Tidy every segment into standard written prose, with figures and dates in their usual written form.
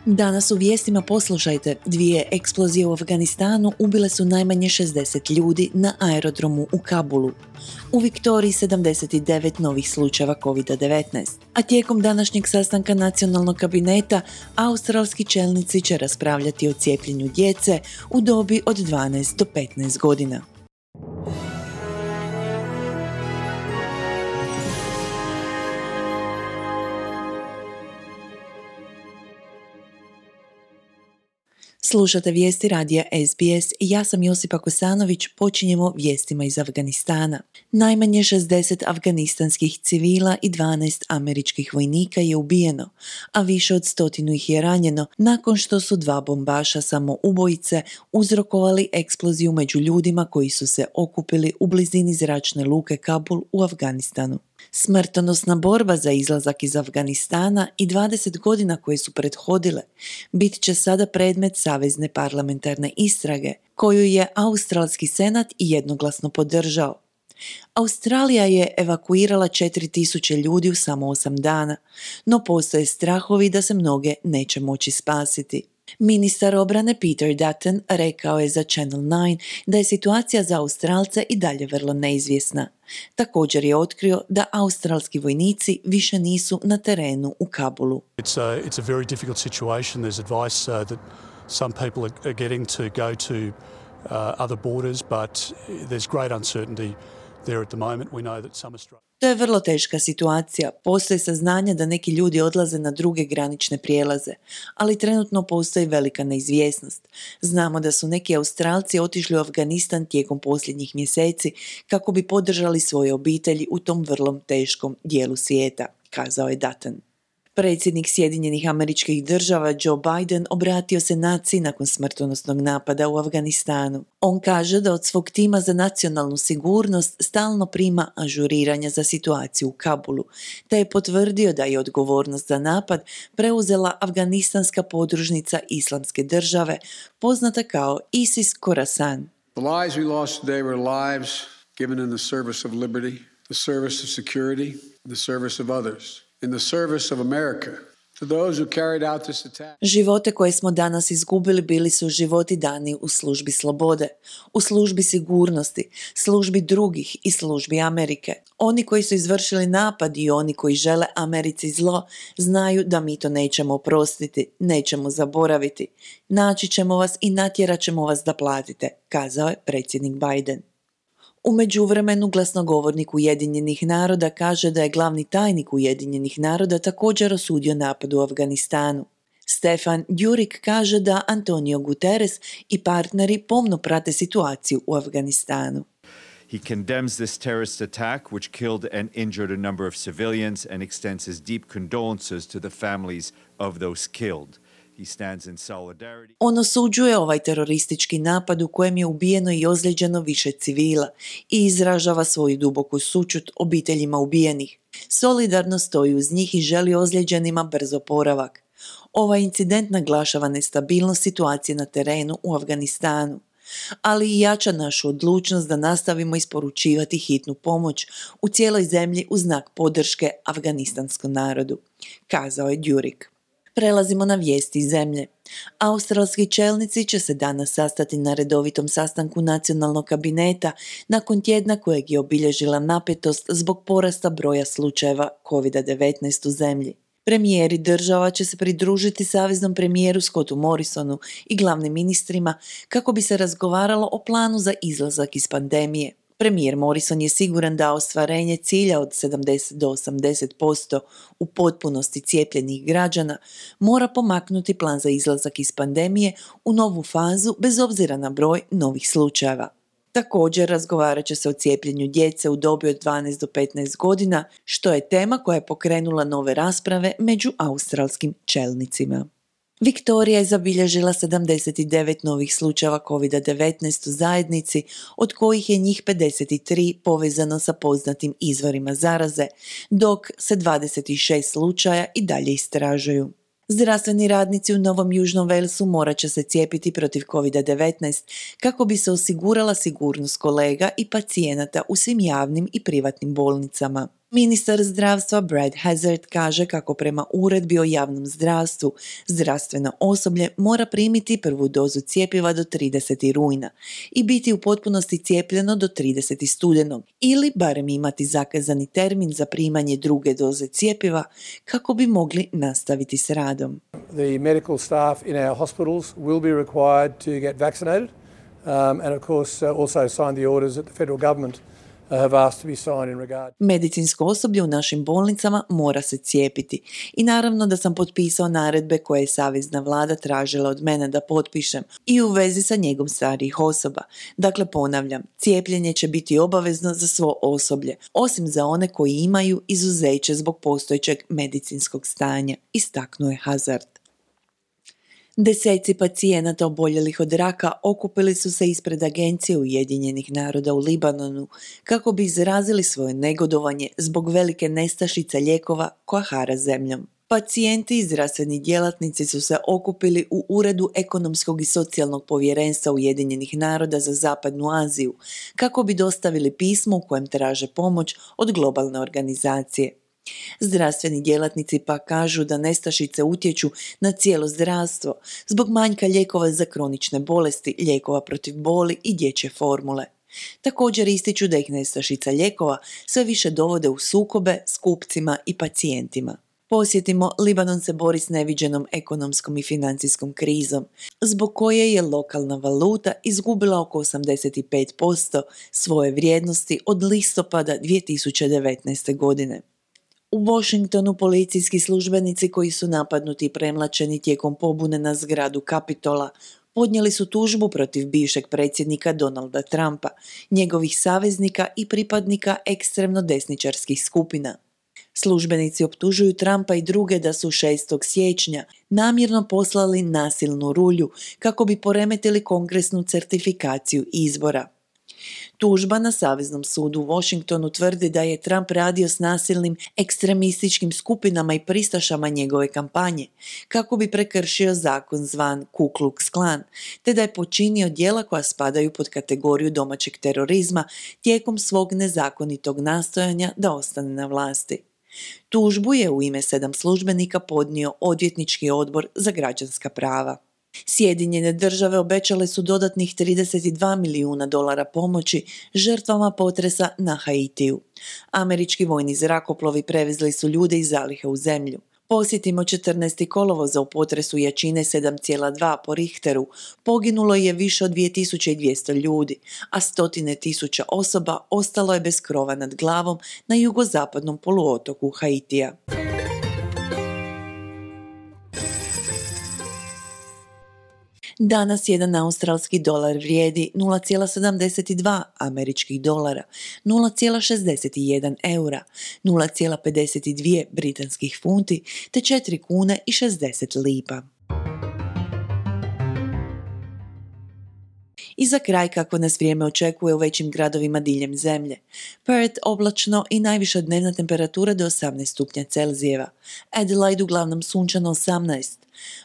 Danas u vijestima poslušajte, 2 eksplozije u Afganistanu ubile su najmanje 60 ljudi na aerodromu u Kabulu. U Viktoriji 79 novih slučajeva COVID-19. A tijekom današnjeg sastanka nacionalnog kabineta, australski čelnici će raspravljati o cijepljenju djece u dobi od 12 do 15 godina. Slušate vijesti radija SBS i ja sam Josipa Kosanović, počinjemo vijestima iz Afganistana. Najmanje 60 afganistanskih civila i 12 američkih vojnika je ubijeno, a više od 100 ih je ranjeno nakon što su 2 bombaša samoubojice uzrokovali eksploziju među ljudima koji su se okupili u blizini zračne luke Kabul u Afganistanu. Smrtonosna borba za izlazak iz Afganistana i 20 godina koje su prethodile bit će sada predmet savezne parlamentarne istrage, koju je Australski senat jednoglasno podržao. Australija je evakuirala 4000 ljudi u samo 8 dana, no postoje strahovi da se mnoge neće moći spasiti. Ministar obrane Peter Dutton rekao je za Channel 9 da je situacija za Australce i dalje vrlo neizvjesna. Također je otkrio da australski vojnici više nisu na terenu u Kabulu. It's a very difficult situation. There's advice that some people are getting to go to other borders, but there's great uncertainty there at the moment. We know that some Australians... To je vrlo teška situacija. Postoje saznanja da neki ljudi odlaze na druge granične prijelaze, ali trenutno postoji velika neizvjesnost. Znamo da su neki Australci otišli u Afganistan tijekom posljednjih mjeseci kako bi podržali svoje obitelji u tom vrlo teškom dijelu svijeta, kazao je Dutton. Predsjednik Sjedinjenih Američkih Država Joe Biden obratio se naciji nakon smrtonosnog napada u Afganistanu. On kaže da od svog tima za nacionalnu sigurnost stalno prima ažuriranja za situaciju u Kabulu, te je potvrdio da je odgovornost za napad preuzela afganistanska podružnica Islamske države, poznata kao ISIS Khorasan. The lives we lost today were lives given in the service of liberty, the service of security, the service of others. In the service of America, to those who carried out this attack. Živote koje smo danas izgubili bili su životi dani u službi slobode, u službi sigurnosti, službi drugih i službi Amerike. Oni koji su izvršili napad i oni koji žele Americi zlo znaju da mi to nećemo oprostiti, nećemo zaboraviti. Naći ćemo vas i natjerat ćemo vas da platite, kazao je predsjednik Biden. U međuvremenu glasnogovornik Ujedinjenih naroda kaže da je glavni tajnik Ujedinjenih naroda također osudio napad u Afganistanu. Stefan Dujarric kaže da Antonio Guterres i partneri pomno prate situaciju u Afganistanu. He condemns this terrorist attack, which killed and injured a number of civilians, and extends his deep condolences to the families of those killed. He stands in solidarity. On osuđuje ovaj teroristički napad u kojem je ubijeno i ozlijeđeno više civila i izražava svoju duboku sućut obiteljima ubijenih. Solidarno stoji uz njih i želi ozlijeđenima brz oporavak. Ovaj incident naglašava nestabilnost situacije na terenu u Afganistanu, ali i jača našu odlučnost da nastavimo isporučivati hitnu pomoć u cijeloj zemlji u znak podrške afganistanskom narodu, kazao je Dujarric. Prelazimo na vijesti iz zemlje. Australski čelnici će se danas sastati na redovitom sastanku nacionalnog kabineta nakon tjedna kojeg je obilježila napetost zbog porasta broja slučajeva COVID-19 u zemlji. Premijeri država će se pridružiti saveznom premijeru Scottu Morrisonu i glavnim ministrima kako bi se razgovaralo o planu za izlazak iz pandemije. Premijer Morrison je siguran da ostvarenje cilja od 70 do 80% u potpunosti cijepljenih građana mora pomaknuti plan za izlazak iz pandemije u novu fazu bez obzira na broj novih slučajeva. Također razgovarat će se o cijepljenju djece u dobi od 12 do 15 godina, što je tema koja je pokrenula nove rasprave među australskim čelnicima. Viktorija je zabilježila 79 novih slučajeva COVID-19 u zajednici, od kojih je njih 53 povezano sa poznatim izvorima zaraze, dok se 26 slučaja i dalje istražuju. Zdravstveni radnici u Novom Južnom Walesu morat će se cijepiti protiv COVID-19 kako bi se osigurala sigurnost kolega i pacijenata u svim javnim i privatnim bolnicama. Ministar zdravstva Brad Hazard kaže kako prema uredbi o javnom zdravstvu, zdravstveno osoblje mora primiti prvu dozu cjepiva do 30. rujna i biti u potpunosti cijepljeno do 30. studenog ili barem imati zakazani termin za primanje druge doze cjepiva kako bi mogli nastaviti s radom. The medical staff in our hospitals will be required to get vaccinated and of course also sign the orders that the federal government have asked to be signed in regard. Medicinsko osoblje u našim bolnicama mora se cijepiti i naravno da sam potpisao naredbe koje je savezna vlada tražila od mene da potpišem i u vezi sa njegom starijih osoba. Dakle, ponavljam, cijepljenje će biti obavezno za svo osoblje, osim za one koji imaju izuzeće zbog postojećeg medicinskog stanja, istaknuo je Hazard. Deseci pacijenata oboljelih od raka okupili su se ispred Agencije Ujedinjenih naroda u Libanonu kako bi izrazili svoje negodovanje zbog velike nestašice lijekova koja hara zemljom. Pacijenti i zdravstveni djelatnici su se okupili u Uredu ekonomskog i socijalnog povjerenstva Ujedinjenih naroda za Zapadnu Aziju kako bi dostavili pismo u kojem traže pomoć od globalne organizacije. Zdravstveni djelatnici pa kažu da nestašice utječu na cijelo zdravstvo zbog manjka lijekova za kronične bolesti, lijekova protiv boli i dječje formule. Također ističu da ih nestašica lijekova sve više dovode u sukobe s kupcima i pacijentima. Posjetimo, Libanon se bori s neviđenom ekonomskom i financijskom krizom, zbog koje je lokalna valuta izgubila oko 85% svoje vrijednosti od listopada 2019. godine. U Washingtonu policijski službenici koji su napadnuti i premlačeni tijekom pobune na zgradu Kapitola podnijeli su tužbu protiv bivšeg predsjednika Donalda Trumpa, njegovih saveznika i pripadnika ekstremno desničarskih skupina. Službenici optužuju Trumpa i druge da su 6. siječnja namjerno poslali nasilnu rulju kako bi poremetili kongresnu certifikaciju izbora. Tužba na Saveznom sudu u Washingtonu tvrdi da je Trump radio s nasilnim ekstremističkim skupinama i pristašama njegove kampanje kako bi prekršio zakon zvan Ku Klux Klan, te da je počinio djela koja spadaju pod kategoriju domaćeg terorizma tijekom svog nezakonitog nastojanja da ostane na vlasti. Tužbu je u ime 7 službenika podnio Odvjetnički odbor za građanska prava. Sjedinjene države obećale su dodatnih $32 milijuna pomoći žrtvama potresa na Haitiju. Američki vojni zrakoplovi prevezli su ljude iz zalihe u zemlju. Posjetimo 14. kolovoza u potresu jačine 7,2 po Richteru. Poginulo je više od 2200 ljudi, a stotine tisuća osoba ostalo je bez krova nad glavom na jugozapadnom poluotoku Haitija. Danas jedan australski dolar vrijedi 0,72 američkih dolara, 0,61 eura, 0,52 britanskih funti te 4 kune i 60 lipa. I za kraj kako nas vrijeme očekuje u većim gradovima diljem zemlje. Perth oblačno i najviša dnevna temperatura do 18 stupnja Celzijeva. Adelaide uglavnom sunčano 18.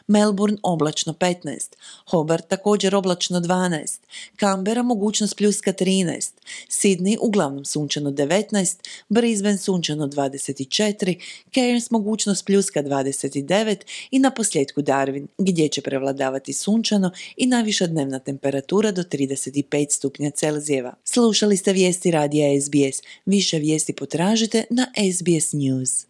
Melbourne oblačno 15, Hobart također oblačno 12, Canberra mogućnost pljuska 13, Sydney uglavnom sunčano 19, Brisbane sunčano 24, Cairns mogućnost pljuska 29 i na posljedku Darwin gdje će prevladavati sunčano i najviša dnevna temperatura do 35 stupnja Celzijeva. Slušali ste vijesti radija SBS. Više vijesti potražite na SBS News.